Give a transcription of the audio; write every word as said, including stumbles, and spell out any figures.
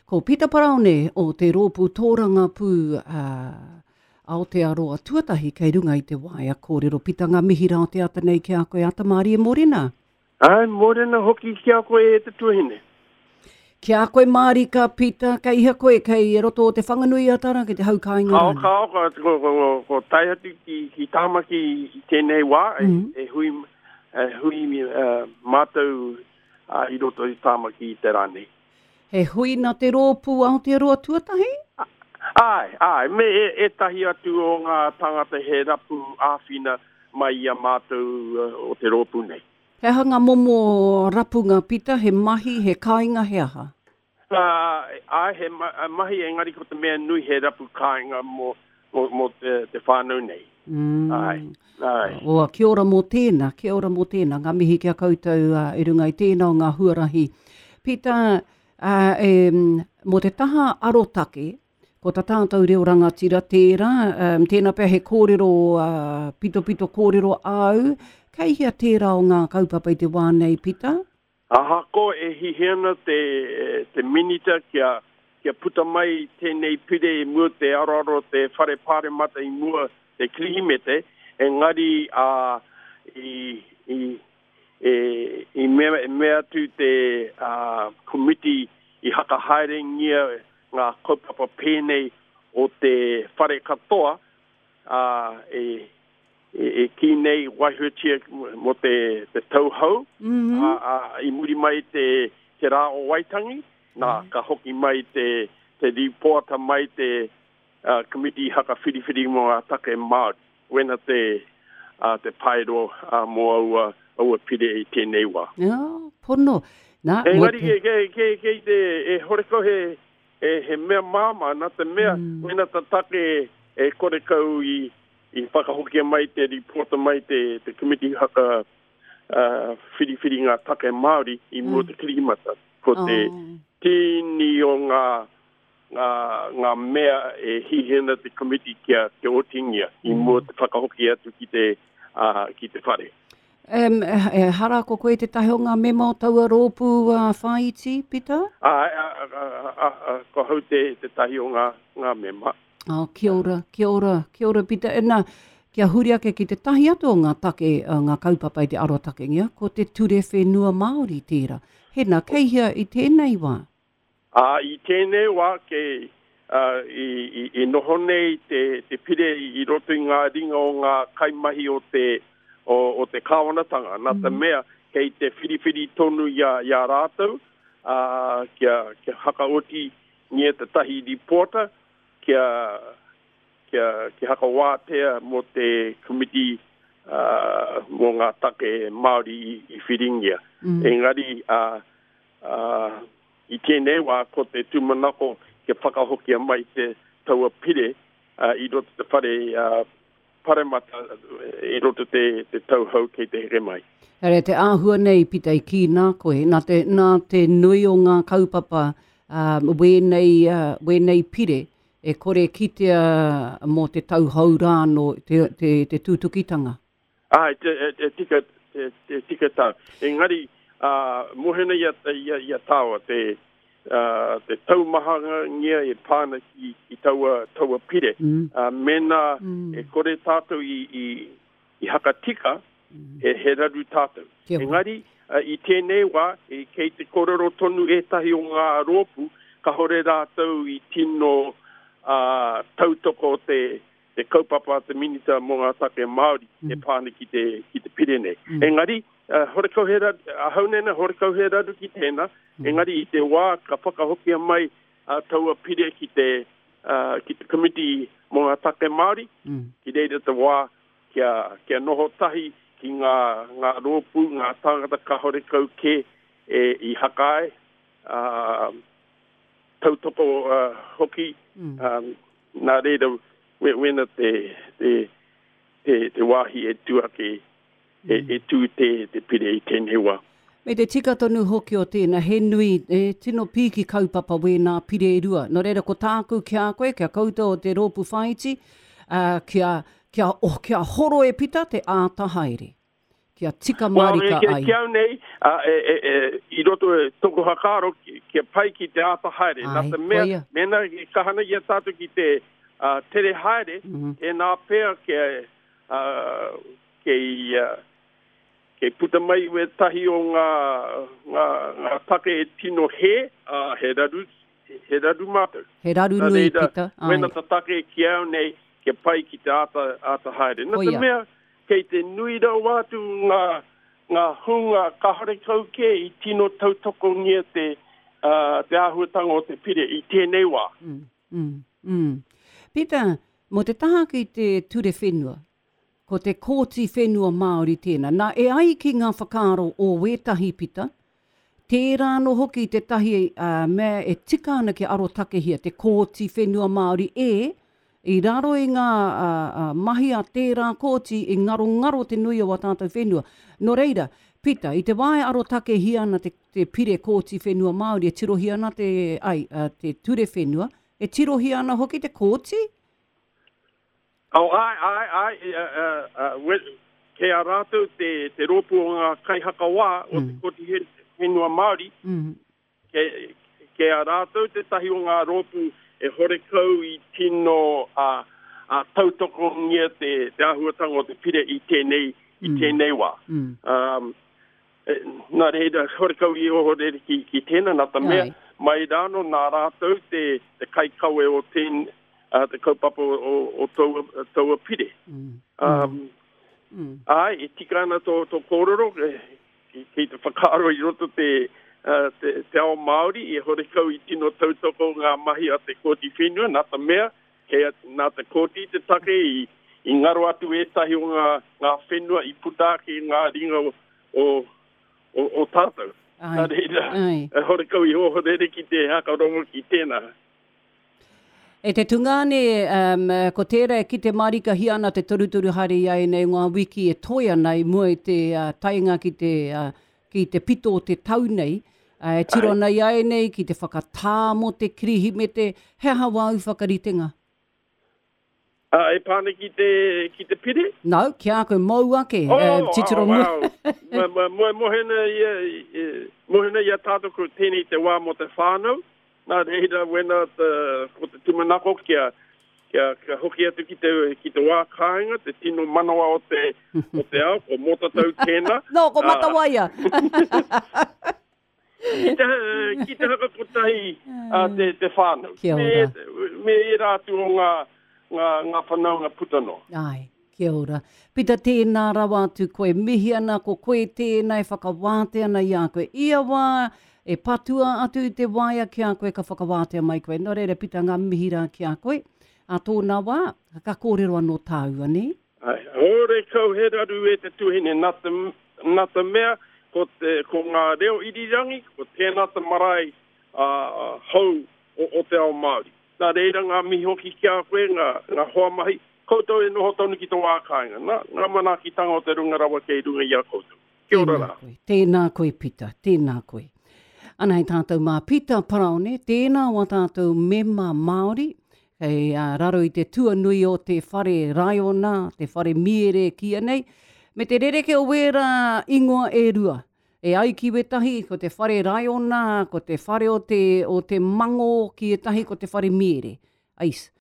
Ko Pita Paraone o te rōpū tōrangapū uh, Aotearoa Tuatahi kei runga i te waea kōrero. Pita, ngā mihi rā o te ata nei ki a koe, ata mārie mōrena. Ai, mōrena hoki ki a koe e te tuahine. Ki a koe mārika, Pita, kei hea koe, kei roto o te Whanganui a Tara, ki te hau kāinga Kao, rānei? kao, ko, ko, ko, ko, ko tae atu ki, ki Tāmaki i tēnei wā, mm -hmm. e, e hui, e hui uh, mātou uh, i roto i Tāmaki i te rā nei. He hui nā te rōpū Aotearoa Tuatahi? Ai, ai, me e, ētahi atu o ngā tāngata he rapu āwhina mai i a mātou uh, o te rōpū nei. He aha ngā momo rapunga, Pita, he mahi, he kāinga, he aha? Uh, ai, he ma mahi engari ko te mea nui he rapu kāinga mō, mō, mō te, te whānau nei. Mm. Ai, ai. Oa, kia ora mō tēnā, kia ora mō tēnā. Ngā mihi ki a koutou uh, i runga i tēnā o ngā huarahi. Pita, uh, e, mō te taha arotake, ko tā tātou reo rangatira tērā, um, tēnā pea he kōrero, uh, pitopito kōrero āu, kei hea tērā o ngā kaupapa i te wā nei, Pita? Ahakoa e hihi ana te, te minita kia, kia puta mai tēnei pire i mua te aroaro te whare pāremata i mua te Kirihimete, engari uh, i, i, e, i mea, mea atu te uh, komiti i hakahaerengia ngā kaupapa pēnei o te whare katoa, uh, e, e, e ki nei waihutia mō te, te tauhou, mm -hmm. a, a, i muri mai te, te rā o Waitangi, nā, mm -hmm. ka hoki mai te, te rīpoata mai te uh, komiti haka whiriwhiri mō ngā take Māori. Wena te, uh, te paero uh, mō aua, aua pire i tēnei wā. Jā, pono. Nā, Engari, te... ke, ke, ke, ke te, e horekau he, he, he mea māmā, nā te mea, mm. wena ta take e korekau i, i whakahokia mai te rīpoata mai te, te komiti haka uh, whiriwhiri ngā take Māori i mua mm. te Kirihimata. Ko te oh. tini o ngā, ngā, ngā mea e hihena te komiti kia, kia otingia i mua te whakahoki atu ki te, uh, ki te whare. Um, e, hara ko koe te tahi o ngā mema o taua rōpū uh, whāiti, Pita? A, a, a, a, a, a, ko hau te, te tahi o ngā, ngā mema. Oh, kia ora, kia ora, kia ora, Pita. E nā, kia huri ake ki te tahi atu o ngā take, uh, ngā kaupapa i te arotakengia, ko te ture whenua Māori tērā. Hena, kei hea i tēnei wā? Ā, i tēnei wā, ke, uh, i, i, i noho nei te, te pire i roto i ngā ringa o ngā kaimahi o te, o, o te kāwanatanga. Nā te mea, kei te whiriwhiri tonu i a, i a rātou, uh, kia, kia hakaoti ngia te tahi rīpoata, kia, kia, kia hakawātea mō te komiti uh, mō ngā take Māori i, i whiringia. Mm. Engari, uh, uh, i tēnei wā ko te tūmanako kia whakahokia mai te taua pire uh, i roto te whare uh, paremata i roto te, te tauhou kei te here mai. Here, te āhua nei, Pita, i kī nā koe, nā te, nā te nui o ngā kaupapa um, wēnei, uh, wēnei pire, e kore kitea mō te tauhou rāno te, te, te tūtukitanga. Ai, te, te, tika, te, te tika tau. Engari, uh, mohena i a, i a, i a tāua, te, uh, te taumahangia e pāna ki, ki taua, taua pire. Mm. Uh, mena mm. e kore tātou i, i, i hakatika, mm. he, he raru tātou. Kia ora. Engari, uh, i tēnei wā, e, kei te korero tonu ētahi o ngā rōpū, kahore rātou i tino uh, tautoko te, te kaupapa te minita mō ngā take Māori mm. e pāna ki te, ki te pire nei. Mm. Engari, uh, horekau he raru, ahau nena horekau he raru ki tēnā, mm. engari i te wā ka whakahokia mai uh, taua pire ki te, uh, ki te komiti mō ngā take Māori, mm. ki reira te wā kia, kia noho tahi ki ngā, ngā rōpū, ngā tāngata ka horekau ke e, i hakae, uh, tautoko uh, hoki, mm. um, nā reira we, wena te, te, te, te wāhi e tū ake, e, e tū te, te pire i tēnei wā. Me te tika tonu hoki o tēnā, he nui, e tino pīki kaupapa wēnā pire e rua. Nō reira, ko tāku ki a koe, kia koutou o te rōpū whāiti, uh, kia, kia, oh, kia horo e Pita te āta haere. Kia tika mārika well, ai. Ki au nei, uh, e, e, e, i roto e toko whakaaro, kia pai ki te āta haere. Ai, Nā te mea, koia. Mena e kahana i a tātou ki te uh, tere haere, mm -hmm. tēnā pea kia, uh, kei, uh, kei puta mai wētahi o ngā, ngā, ngā take e tino he, uh, he raru, he raru mātou. He raru Nā nui, reira, Pita. Ai. Wena ta take ki au nei, kia pai ki te āta, āta haere. Nā te Koia. mea, kei te nui rawa atu ngā, ngā hunga kahore kau kē i tino tautokongia te, uh, te āhuatanga o te pire i tēnei wā. Mm, mm, mm. Pita, mō te taha ki te ture whenua, ko te kōti whenua Māori tēnā. Nā, e ai ki ngā whakaaro o wētahi, Pita, tērā anō hoki tētahi uh, mea e tika ana kia arotakehia te kōti whenua Māori e, i raro i ngā uh, uh, mahi a tērā kōti i ngarongaro te nui o a tātou whenua. Nō reira, Pita, i te wā e arotakehia ana te, te pire kōti whenua Māori, e tirohia ana te, ai, uh, te ture whenua, e tirohia ana hoki te kōti? Oh, ai, ai, ai, uh, uh, uh, we- kei a rātou te, te rōpū o ngā kaihakawā o te kōti whenua Māori, Mm. kei, kei a rātou tētahi o ngā rōpū e horekau i tino uh, uh, tautokongia te, te āhuatanga o te pire i tēnei, i tēnei wā. Mm. Um, e, nā reira, horekau i ohorere ki, ki tēnā, nā te mea, Ai. mai rāno nā rātou te, te kaikawe o tēn, uh, te kaupapa o, o, o taua, taua pire. Mm. Um, Mm. Ai, e tika ana tō, tō kōrero, e, ki, ki te whakaaro i roto te, uh, te, te ao Māori, i horekau i tino tautoko ngā mahi a te kōti whenua, nā te mea, kei a, nā te kōti te take i, i ngaro atu ētahi o ngā, ngā whenua i puta ake i ngā ringa o, o, o, o tātou. Ai. Nā reira, Ai. e horekau i ohorere ki te hakarongo ki tēnā. E te tungāne, um, ko tērā e kite mārikahia ana te torutoru haere i ai nei ngā wiki e toe ana i mua i te uh, taenga ki te, uh, ki te pito o te tau nei, uh, e tiro ana i ai nei ki te whakatā mō te Kirihimete, he aha wāu whakaritenga? Uh, e pāne ki te, ki te pire? No, ki a koe mou ake, Oh, eh, titiro oh, mua. wow. Mo- mo- mo- Mohena ia, i- mohena ia tātou ko tēnei te wā mō te whānau. Nā reira wena te, ko te tūmanako kia, kia, kia hoki atu ki te, ki te wā kāinga, te tino manawa o te, o te ao, ko Motatau tēnā. No, ko Ah. Matawaia. Ki te, ki te hakakotahi uh, te, te whānau. Kia Me, ora. me ērā atu o ngā, ngā, ngā whanaunga puta noa. Ai, kia ora. Pita, tēnā rawa atu koe, mihi ana ko koe tēnā e whakawātea ana i a koe. Ia wā e patua atu i te waea ki a koe ka whakawātea mai koe. Nō reira, Pita, ngā mihi rā ki a koe. A tōna wā, ka kōrero anō tāua, ne? Ai, hore kau he raru e te tuhine, nā te, nā te mea, ko, te, ko ngā reo irirangi, ko tēnā te marae uh, hou o, o te ao Māori. Nā reira ngā mihi hoki ki a koe, ngā, ngā hoa mahi, koutou e noho tonu ki tō wā kāinga. Nā, ngā manaakitanga o te runga rawa kei runga i a koutou. Kia ora Tēnā rā. koe, tēnā koe, Pita, tēnā koe. Ana hei tātou mā Pita Paraone, tēnā wā tātou mema Māori, hei uh, raro i te tuanui o te whare raiona, te whare miere kia nei, me te rereke o wērā ingoa e rua. E ai ki wetahi, ko te whare raiona, ko te whare o te, o te mango ki etahi, ko te whare miere. Ais.